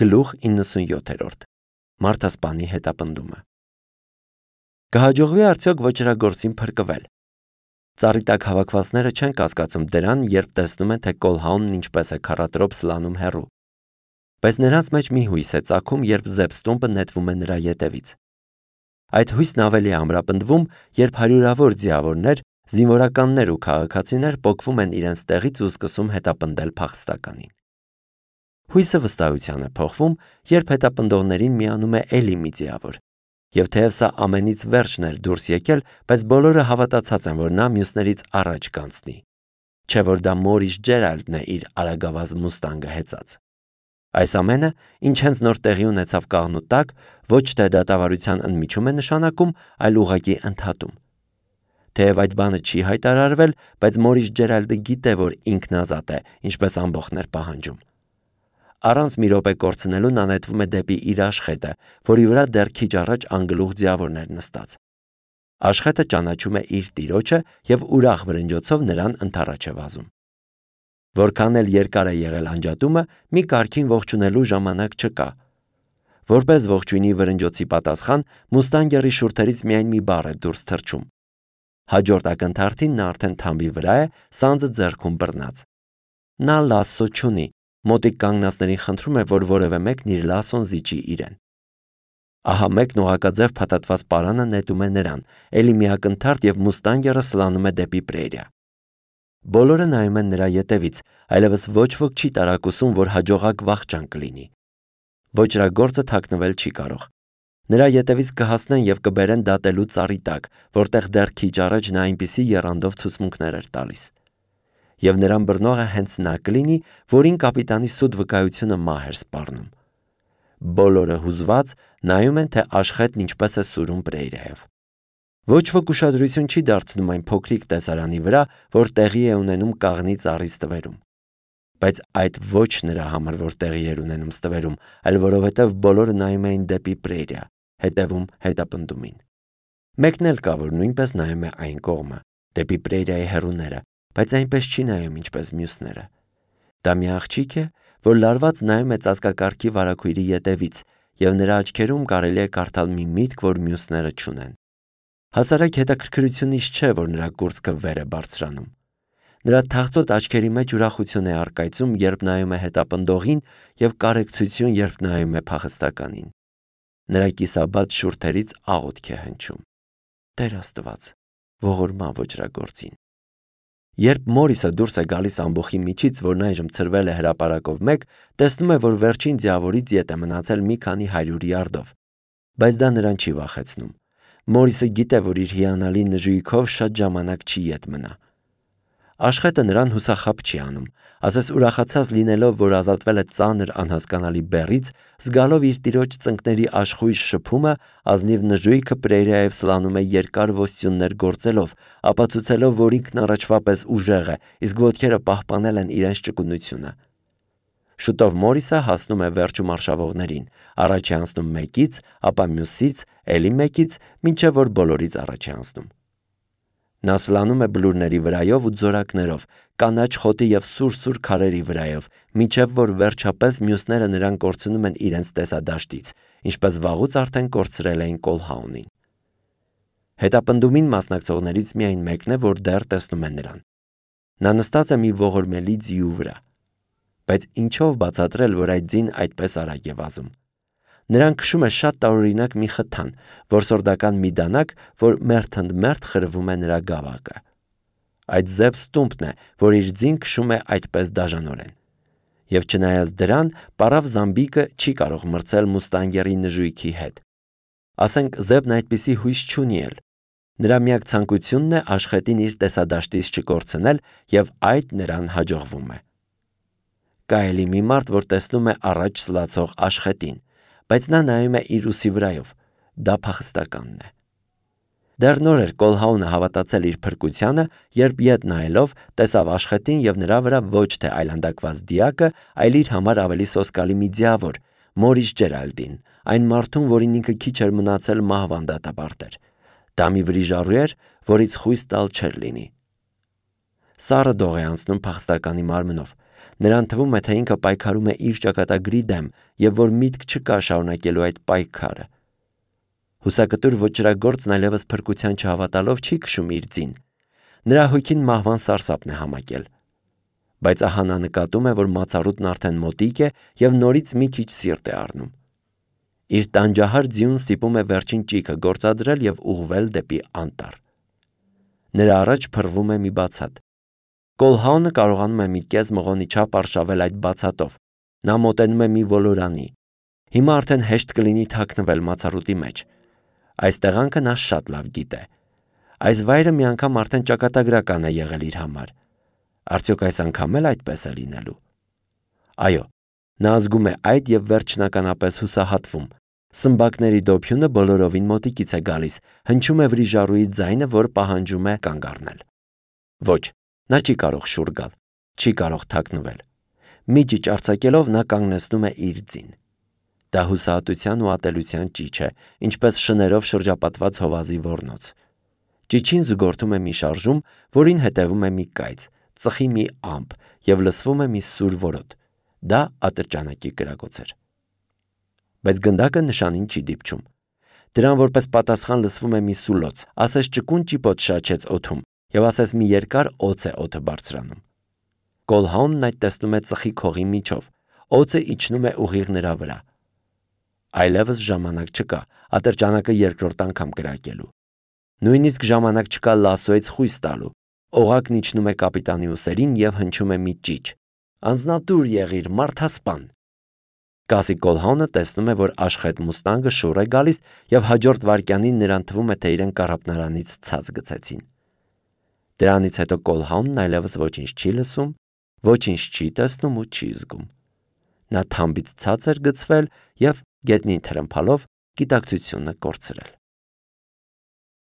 Գլուխ 97 Մարդասպանի հետապնդումը։ Կհաջողվի արդյոք ոճրագործին փրկվել։ Ծառի տակ հավաքվածները չեն կասկածում դրան, երբ տեսնում են, թե Կոլհաունն ինչպես է քառատրոփ սլանում հեռու։ Բայց նրանց մեջ մի հույս է ծագում, երբ Զեփստումպը նետվում է նրա ետևից։ Այդ հույսն ավելի է ամրապնդվում, երբ հարյուրավոր ձիավորներ, զինվորականներ ու քաղաքացիներ պոկվում են իրենց տեղից ու սկսում հետապնդել փախստականին։ Հույսը վստահության է փոխվում, երբ հետապնդողներին միանում է էլի մի ձիավոր։ Եվ թեև սա ամենից վերջն էր դուրս եկել, բայց բոլորը հավատացած են, որ նա մյուսներից առաջ կանցնի։ Չէ՞ որ դա Մորիս Ջերալդն է իր արագավազ մուստանգը հեծած։ Այս ամենը, ինչ հենց նոր տեղի ունեցավ կաղնու տակ, ոչ թե դատավարության ընդմիջում է նշանակում, այլ ուղղակի ընդհատում։ Թեև այդ բանը չի հայտարարվել, բայց Մորիս Ջերալդը գիտե, որ ինքն ազատ է, ինչպես ամբողջն էր պահանջում։ Առանց մի րոպե կորցնելու նա նետվում է դեպի իր աշխետը, որի վրա դեռ քիչ առաջ անգլուխ ձիավորն էր նստած։ Աշխետը ճանաչում է իր տիրոջը եւ ուրախ վրնջոցով նրան ընդառաջ է վազում։ Որքան էլ երկար է եղել անջատումը, մի կարգին ողջունելու ժամանակ չկա։ Որպես ողջույնի վրնջոցի պատասխան, մուստանգերի շուրթերից միայն մի բառ է դուրս թռչում։ Հաջորդ ակնթարթին նա արդեն թամբի վրա է, սանձը ձեռքում բռնած։ Նա լասսո չունի, մոտիկ կանգնածներին խնդրում է, որ որևէ մեկն իր լասոն զիջի իրեն։ Ահա մեկն ուղղակաձև փաթաթված պարանը նետում է նրան, էլի մի ակնթարթ եւ մուստանգերը սլանում է դեպի պրերիա։ Բոլորը նայում են նրա ետևից, այլևս ոչ ոք չի տարակուսում, որ հաջողակ վախճան կլինի։ Ոճրագործը թաքնվել չի կարող։ Նրա ետևից կհասնեն եւ կբերեն դատելու ծառի տակ, որտեղ դեռ քիչ առաջ նա այնպիսի եռանդով ցուցմունքներ էր տալիս։ Եվ նրան բռնողը հենց նա կլինի, որին կապիտանի սուտ վկայությունը մահ էր սպառնում։ Բոլորը հուզված նայում են, թե աշխետն ինչպես է սուրում պրերիայով։ Ոչ ոք ուշադրություն չի դարձնում այն փոքրիկ տեսարանի վրա, որ տեղի է ունենում կաղնի ծառի ստվերում։ Բայց այդ ոչ նրա համար, որ տեղի էր ունենում ստվերում, այլ որովհետև բոլորը նայում էին դեպի պրերիա, հետևում հետապնդումին։ Մեկն էլ կա, որ նույնպես նայում է այն կողմը, դեպի պրերիայի հեռուները, բայց այնպես չի նայում, ինչպես մյուսները։ Դա մի աղջիկ է, որ լարված նայում է ծածկակարգի վարագույրի ետևից, եւ նրա աչքերում կարելի է կարդալ մի միտք, որ մյուսները չունեն։ Հասարակ հետաքրքրությունից չէ, որ նրա կուրծքը վեր է բարձրանում։ Նրա թախծոտ աչքերի մեջ ուրախություն է առկայծում, երբ նայում է հետապնդողին, եւ կարեկցություն, երբ նայում է փախստականին։ Նրա կիսաբաց շուրթերից աղոթք է հնչում. Տեր Աստված, ողորմա ոճրագործին։ Երբ Մորիսը դուրս է գալիս ամբոխի միջից, որն այժմ ցրվել է հրապարակով մեկ, տեսնում է, որ վերջին ձիավորից ետ է մնացել մի քանի 100 յարդով։ Բայց դա նրան չի վախեցնում։ Մորիսը գիտե, որ իր հիանալի նժույգով շատ ժամանակ չի ետ մնա։ Աշխետը նրան հուսախաբ չի անում, ասես ուրախացած լինելով, որ ազատվել է ծանր անհասկանալի բեռից, զգալով իր տիրոջ ծնկների աշխույժ շփումը, ազնիվ նժույգը պրերիայով սլանում է երկար ոստյուններ գործելով, ապացուցելով, որ ինքն առաջվա պես ուժեղ է, իսկ ոտքերը պահպանել են իրենց ճկունությունը։ Շուտով Մորիսը հասնում է վերջում արշավողներին, առաջ է անցնում մեկից, ապա մյուսից, էլի մեկից, մինչև որ բոլորից առաջ է անցնում։ Նա սլանում է բլուրների վրայով ու ձորակներով, կանաչ խոտի եւ սուր քարերի վրայով, մինչև որ վերջապես մյուսները նրան կորցնում են իրենց տեսադաշտից, ինչպես վաղուց արդեն կորցրել էին Կոլհաունին։ Հետապնդումին մասնակցողներից միայն մեկն է, որ դեռ տեսնում է նրան։ Նա նստած է մի ողորմելի ձիու վրա։ Բայց ինչով բացատրել, որ այդ ձին այդպես արագ է վազում։ Նրան քշում է շատ տարօրինակ մի խթան, որսորդական մի դանակ, որ մերթ խրվում է նրա գավակը։ Այդ Զեփստումպն է, որ իր ձին քշում է այդպես դաժանորեն։ Եվ չնայած դրան, պարավ Զամբիկը չի կարող մրցել մուստանգերի նժույգի հետ։ Ասենք Զեբն այդպիսի հույս չունի էլ։ Նրա միակ ցանկությունն է աշխետին իր տեսադաշտից չկորցնել, եւ այդ նրան հաջողվում է։ Կա էլի մի մարդ, որ տեսնում է առաջ սլացող աշխետին, բայց նա նայում է իր ուսի վրայով, դա փախստականն է։ Դեռ նոր էր Կոլհաունը հավատացել իր փրկությանը, երբ ետ նայելով տեսավ աշխետին եւ նրա վրա ոչ թե այլանդակված դիակը, այլ իր համար ավելի սոսկալի մի ձիավոր, Մորիս Ջերալդին, այն մարդուն, որին ինքը քիչ էր մնացել մահվան դատապարտեր։ Դա մի վրիժառու էր, որից խույս տալ չէր լինի։ Սառը դող է անցնում փախստականի մարմնով։ Նրան թվում է, թե ինքը պայքարում է իր ճակատագրի դեմ եւ որ միտք չկա շարունակելու այդ պայքարը։ Հուսակտուր ոճրագործն այլևս փրկության չհավատալով չի քշում իր ձին։ Նրա հոգին մահվան սարսափն է համակել։ Բայց ահա նա նկատում է, որ մացառուտն արդեն մոտիկ է եւ նորից մի քիչ սիրտ է առնում։ Իր տանջահար ձիուն ստիպում է վերջին ճիգը գործադրել եւ ուղղվել դեպի անտառ։ Նրա առաջ փռվում է մի բացատ։ Կոլհաունը կարողանում է մի կես մղոնի չափ արշավել այդ բացատով։ Նա մոտենում է մի ոլորանի։ Հիմա արդեն հեշտ կլինի թաքնվել մացառուտի մեջ։ Այս տեղանքը նա շատ լավ գիտե։ Այս վայրը մի անգամ արդեն ճակատագրական է եղել իր համար։ Արդյոք այս անգամ էլ այդպես է լինելու։ Այո, նա զգում է այդ եւ վերջնականապես հուսահատվում։ Սմբակների դոփյունը բոլորովին մոտիկից է գալիս, հնչում է վրիժառուի ձայնը, որ պահանջում է կանգ առնել։ Ոչ, նա չի կարող շուռ գալ, չի կարող թաքնվել։ Մի ճիչ արձակելով նա կանգնեցնում է իր ձին։ Դա հուսահատության ու ատելության ճիչ է, ինչպես շներով շրջապատված հովազի ոռնոց։ Ճիչին զուգորդում է մի շարժում, որին հետևում է մի կայծ, ծխի մի ամպ եւ լսվում է մի սուր որոտ։ Դա ատրճանակի կրակոց էր։ Բայց գնդակը նշանին չի դիպչում։ Դրան որպես պատասխան լսվում է մի սուլոց, ասես ճկուն ճիպոտ շաչեց օդում եւ ասես մի երկար օձ է օդը բարձրանում։ Կոլհաունն այդ տեսնում է ծխի քողի միջով, օձը իջնում է ուղիղ նրա վրա։ Այլևս ժամանակ չկա ատրճանակը երկրորդ անգամ կրակելու։ Նույնիսկ ժամանակ չկա լասոից խույս տալու։ Օղակն իջնում է կապիտանի ուսերին եւ հնչում է մի ճիչ։ Անձնատուր եղիր, մարդասպան։ Կասի Կոլհաունը տեսնում է, որ աշխետ մուստանգը շուռ է գալիս եւ հաջորդ վայրկյանին նրան թվում է, թե իրեն կառապնարանից ցած գցեցին։ Դրանից հետո Կոլհաունն այլևս ոչինչ չի լսում, ոչինչ չի տեսնում ու չի զգում։ Նա թամբից ցած էր գցվել եւ գետնին թրմփալով գիտակցությունը կորցրել։